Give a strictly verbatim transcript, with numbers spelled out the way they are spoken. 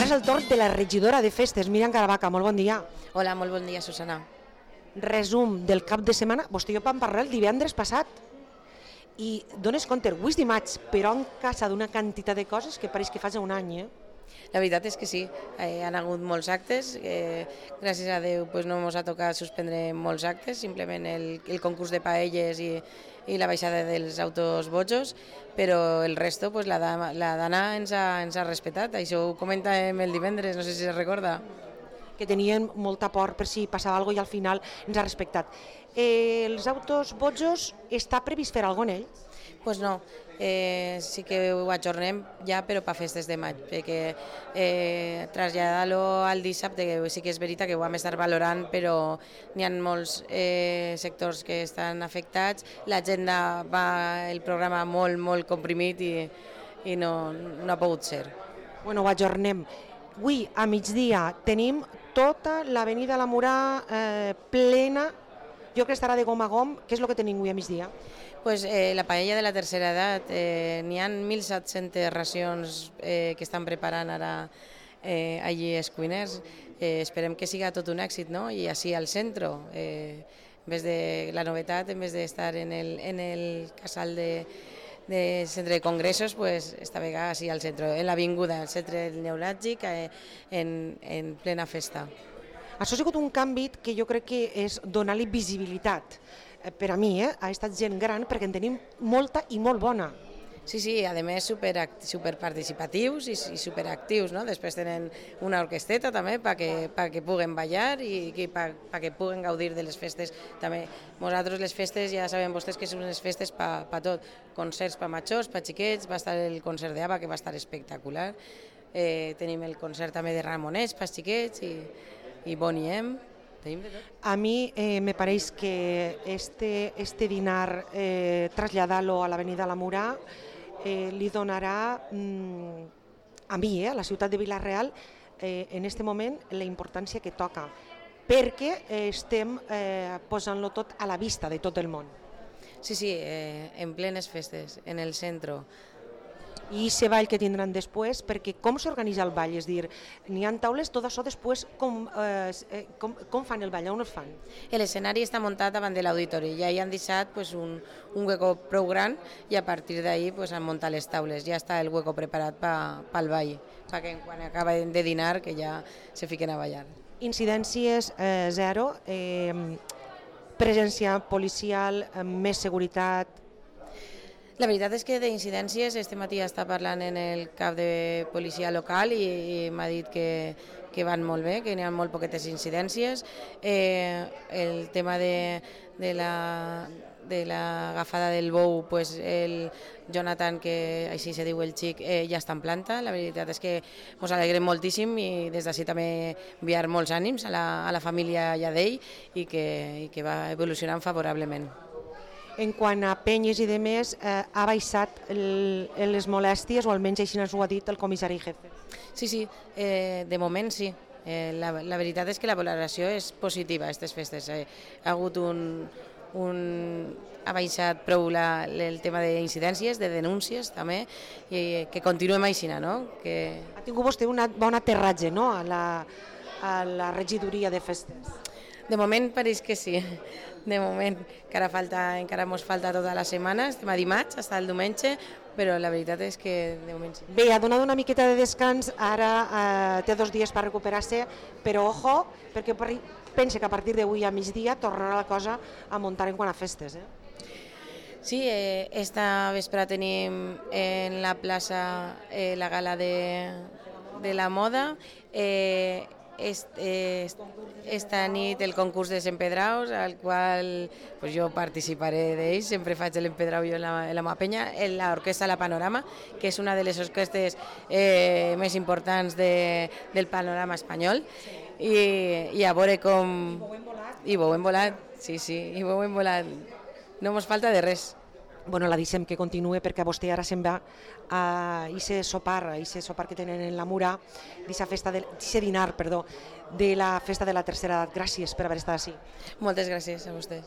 Ara és el torn de la regidora de festes, Míriam Caravaca. Molt bon dia. Hola, molt bon dia, Susana. Resum del cap de setmana. Vostè i jo vam parlar el divendres passat i dones compte, avui és dimarts, però en casa d'una quantitat de coses que pareix que fa ja un any, eh? La veritat és que sí, eh, han hagut molts actes, eh, gràcies a Déu pues, no ens ha tocat suspendre molts actes, simplement el, el concurs de paelles i, i la baixada dels autos bojos, però el resto pues, la, dama, la Dana ens ha, ens ha respetat, això ho comentàvem el divendres, no sé si es recorda. Que tenien molta por per si passava alguna cosa i al final ens ha respectat. Eh, els autos bojos, està previst fer alguna cosa en ells? Pues no, eh, sí que ho ajornem ja, però per festes de maig, perquè eh, traslladar-lo al dissabte, que sí que és veritat que ho vam estar valorant, però n'hi ha molts eh, sectors que estan afectats, l'agenda va, el programa molt, molt comprimit i, i no, no ha pogut ser. Bueno, ho ajornem. Avui, a migdia, tenim tota l'avenida La Murà eh, plena, jo crec que estarà de gom a gom. Què és el que tenim avui a migdia? Pues, eh, la paella de la tercera edat, eh, n'hi ha mil set-centes racions eh, que estan preparant ara eh, allí els cuiners. Eh, esperem que siga tot un èxit, no? I així al centre, eh, en vez de la novetat, en vez d'estar en el, en el casal de, de centre de congressos, pues, esta vegada així al centre, en l'avinguda, al centre neuràlgic, eh, en, en plena festa. Això ha sigut un canvi que jo crec que és donar-li visibilitat. Per a mi, eh, ha estat gent gran perquè en tenim molta i molt bona. Sí, sí, a més super, super participatius i, i superactius, no? Després tenen una orquesteta també perquè pa que puguen ballar i perquè puguen gaudir de les festes també. Nosaltres les festes ja sabem vostès que són unes festes per pa tot, concerts per majors, per xiquets, va estar el concert d'Ava que va estar espectacular, eh, tenim el concert també de Ramonets per xiquets i, i Bonnie M. A mi eh, me pareix que este, este dinar, eh, traslladar-lo a l'avenida La Murà, eh, li donarà mm, a mi, eh, a la ciutat de Vila-real, eh, en este moment la importància que toca, perquè eh, estem eh, posant-lo tot a la vista de tot el món. Sí, sí, eh, en plenes festes, en el centre. I aquest ball que tindran després, perquè com s'organitza el ball? És dir, n'hi ha taules, tot això després, com, eh, com, com fan el ball, on el fan? L'escenari està muntat davant de l'auditori, ja hi han deixat pues, un, un hueco prou gran i a partir d'ahí pues, han muntat les taules, ja està el hueco preparat pel ball, perquè quan acaben de dinar que ja se fiquen a ballar. Incidències eh, zero, eh, presència policial, eh, més seguretat. La veritat és que d'incidències este matí està parlant en el cap de policia local i, i m'ha dit que, que van molt bé, que n'hi ha molt poquetes incidències. Eh, el tema de, de la de l'agafada del bou, pues el Jonathan, que així se diu el xic, eh, ja està en planta. La veritat és que ens alegrem moltíssim i des d'ací també enviar molts ànims a la, a la família Lladell i que, i que va evolucionant favorablement. En quant a penyes i demés, eh, ha baixat el, les molèsties, o almenys així ens ho ha dit el comissari jefe. Sí, sí, eh, de moment sí. Eh, la, la veritat és que la valoració és positiva a aquestes festes. Eh, ha hagut un, un... ha baixat prou la, el tema d'incidències, de denúncies també, i que continuem així, no? Que... Ha tingut vostè un bon aterratge, no?, a la, a la regidoria de festes. De moment pareix que sí, de moment, encara, falta, encara ens falta tota la setmana, estem a dimarts, fins el diumenge, però la veritat és que de moment sí. Bé, ha donat una miqueta de descans, ara eh, té dos dies per recuperar-se, però ojo, perquè pense que a partir d'avui a migdia tornarà la cosa a muntar en quant a festes. Eh? Sí, eh, esta vespre tenim en la plaça eh, la gala de, de la moda, eh, Est, eh, esta nit el concurs de Empedraus, al qual pues, jo participaré d'ell, sempre faig l'empedrau jo en la, en la meva penya, en l'orquestra La Panorama, que és una de les orquestes eh, més importants de, del panorama espanyol, i, i a veure com... I vau hem volat. I vau hem volat, sí, sí, i vau hem volat. No mos falta de res. Bueno, la deixem que continue perquè vostè ara se'n va a aquest sopar, a aquest sopar que tenen en la Murà, d'aquest dinar, perdó, de la festa de la tercera edat. Gràcies per haver estat així. Moltes gràcies a vostès.